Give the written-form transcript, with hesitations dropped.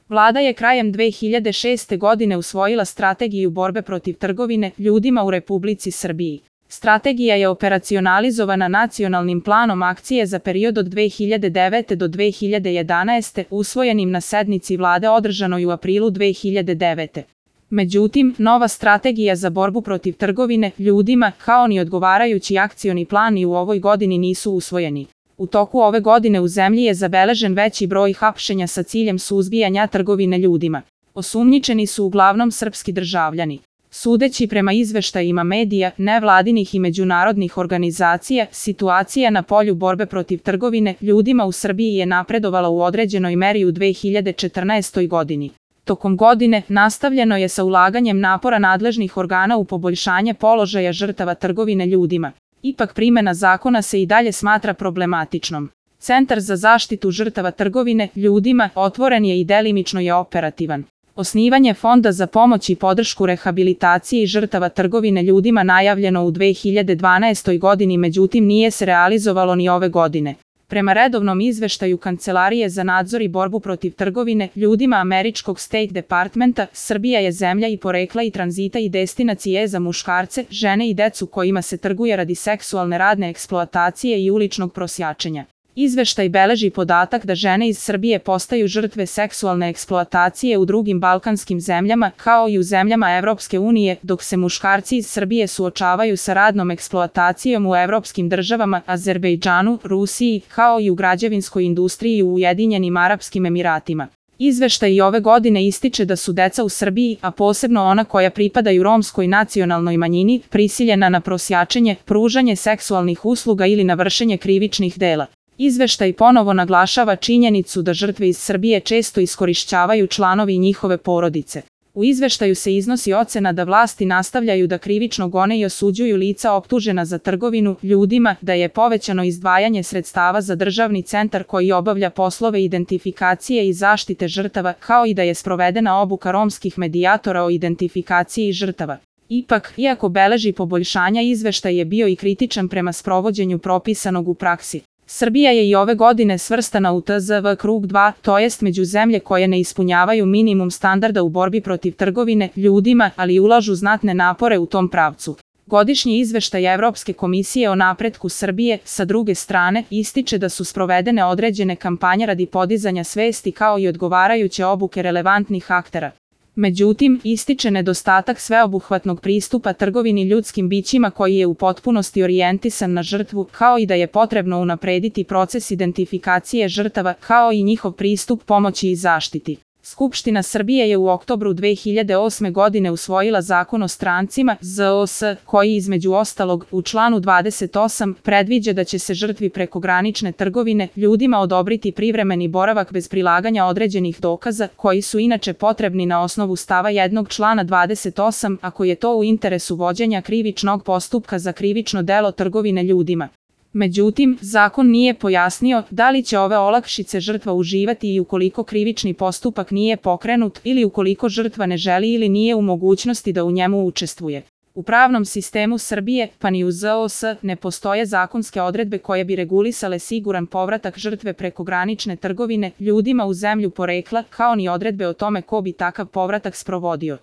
Vlada je krajem 2006. godine usvojila Strategiju borbe protiv trgovine ljudima u Republici Srbiji. Strategija je operacionalizovana Nacionalnim planom akcije za period od 2009. do 2011. usvojenim na sednici Vlade održanoj u aprilu 2009. Međutim, nova strategija za borbu protiv trgovine ljudima, kao ni odgovarajući akcioni plan i u ovoj godini nisu usvojeni. U toku ove godine u zemlji je zabeležen veći broj hapšenja sa ciljem suzbijanja trgovine ljudima. Osumnjičeni su uglavnom srpski državljani. Sudeći prema izveštajima medija, nevladinih i međunarodnih organizacija, situacija na polju borbe protiv trgovine ljudima u Srbiji je napredovala u određenoj meri u 2014. godini. Tokom godine nastavljeno je sa ulaganjem napora nadležnih organa u poboljšanje položaja žrtava trgovine ljudima. Ipak primena zakona se i dalje smatra problematičnom. Centar za zaštitu žrtava trgovine ljudima otvoren je i delimično je operativan. Osnivanje Fonda za pomoć i podršku rehabilitaciji žrtava trgovine ljudima najavljeno u 2012. godini, međutim nije se realizovalo ni ove godine. Prema redovnom izveštaju Kancelarije za nadzor i borbu protiv trgovine ljudima američkog State Departmenta, Srbija je zemlja i porekla i tranzita i destinacije za muškarce, žene i decu kojima se trguje radi seksualne radne eksploatacije i uličnog prosjačenja. Izveštaj beleži podatak da žene iz Srbije postaju žrtve seksualne eksploatacije u drugim balkanskim zemljama, kao i u zemljama Evropske unije, dok se muškarci iz Srbije suočavaju sa radnom eksploatacijom u evropskim državama, Azerbejdžanu, Rusiji, kao i u građevinskoj industriji u Ujedinjenim Arapskim Emiratima. Izveštaj i ove godine ističe da su deca u Srbiji, a posebno ona koja pripadaju romskoj nacionalnoj manjini, prisiljena na prosjačenje, pružanje seksualnih usluga ili na vršenje krivičnih dela. Izveštaj ponovo naglašava činjenicu da žrtve iz Srbije često iskorišćavaju članovi njihove porodice. U izveštaju se iznosi ocena da vlasti nastavljaju da krivično gone i osuđuju lica optužena za trgovinu ljudima, da je povećano izdvajanje sredstava za državni centar koji obavlja poslove identifikacije i zaštite žrtava, kao i da je sprovedena obuka romskih medijatora o identifikaciji žrtava. Ipak, iako beleži poboljšanja, izveštaj je bio i kritičan prema sprovođenju propisanog u praksi. Srbija je i ove godine svrstana u TZV krug 2, to jest među zemlje koje ne ispunjavaju minimum standarda u borbi protiv trgovine ljudima, ali ulažu znatne napore u tom pravcu. Godišnji izveštaj Evropske komisije o napretku Srbije, sa druge strane, ističe da su sprovedene određene kampanje radi podizanja svesti kao i odgovarajuće obuke relevantnih aktera. Međutim, ističe nedostatak sveobuhvatnog pristupa trgovini ljudskim bićima koji je u potpunosti orijentisan na žrtvu, kao i da je potrebno unaprediti proces identifikacije žrtava, kao i njihov pristup pomoći i zaštiti. Skupština Srbije je u oktobru 2008. godine usvojila Zakon o strancima, ZOS, koji između ostalog u članu 28 predviđa da će se žrtvi prekogranične trgovine ljudima odobriti privremeni boravak bez prilaganja određenih dokaza, koji su inače potrebni na osnovu stava 1. člana 28, ako je to u interesu vođenja krivičnog postupka za krivično delo trgovine ljudima. Međutim, zakon nije pojasnio da li će ove olakšice žrtva uživati i ukoliko krivični postupak nije pokrenut ili ukoliko žrtva ne želi ili nije u mogućnosti da u njemu učestvuje. U pravnom sistemu Srbije, pa ni u ZOS, ne postoje zakonske odredbe koje bi regulisale siguran povratak žrtve prekogranične trgovine ljudima u zemlju porekla, kao ni odredbe o tome ko bi takav povratak sprovodio.